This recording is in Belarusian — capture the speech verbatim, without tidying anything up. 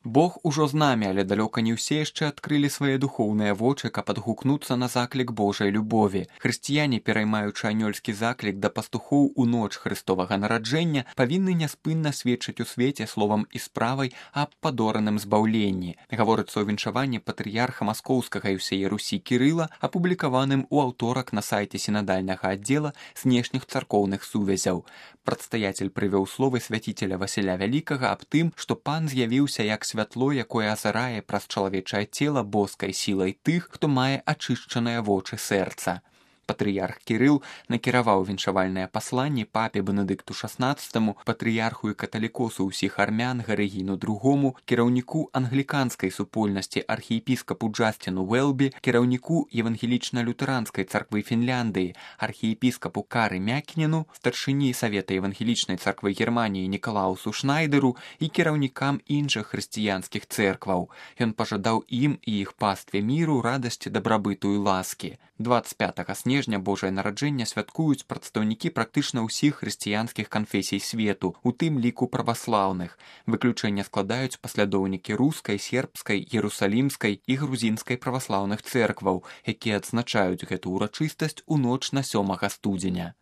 Бог ужо з намі, але далёка не ўсе яшчэ адкрылі свае духоўныя вочы, каб адгукнуцца на заклік Божай любові. Хрысціяне, пераймаючы анёльскі заклік да пастухоў у ноч Хрыстовага нараджэння, павінны няспынна сведчыць у свеце словам і справай аб падораным збаўленні. Гаворыцца ў віншаванні патрыярха маскоўскага і ўсяе Русі Кірыла, апублікаваным у аўторак на сайце сінадальнага аддзела знешніх царкоўных сувязяў. Прадстаятель прывёў словы свяціцеля Васіля Вялікага аб тым, што пан з'явіўся як святло, якое азарае праз чалавечае цела боскай сілай тых, хто мае ачышчаныя вочы сэрца. Патрыярх Кірыл накіраваў віншавальнае пасланне папе Бенедыкту шаснаццатаму, патрыярху і каталікосу ўсіх армян Гарыгіну другому, кіраўніку англіканскай супольнасці архіепіскапу Джасціну Уэлбі, кіраўніку евангелічна-лютэранскай царквы Фінляндыі, архіепіскапу Кары Мякінену, старшыні Савета евангелічнай царквы Германіі Нікалаусу Шнайдеру і кіраўнікам іншых хрысціянскіх цэркваў. Ён пажадаў ім і іх пастве міру, радасці, дабрабыту і ласкі. дваццаць пятага снежня Божае нараджэнне святкуюць прадстаўнікі практычна ўсіх хрысціянскіх канфесій свету, у тым ліку праваслаўных. Выключэнне складаюць паслядоўнікі рускай, сербскай, ерусалімскай і грузінскай праваслаўных цэркваў, якія адзначаюць гэту ўрачыстасць у ноч на сёмага студзеня.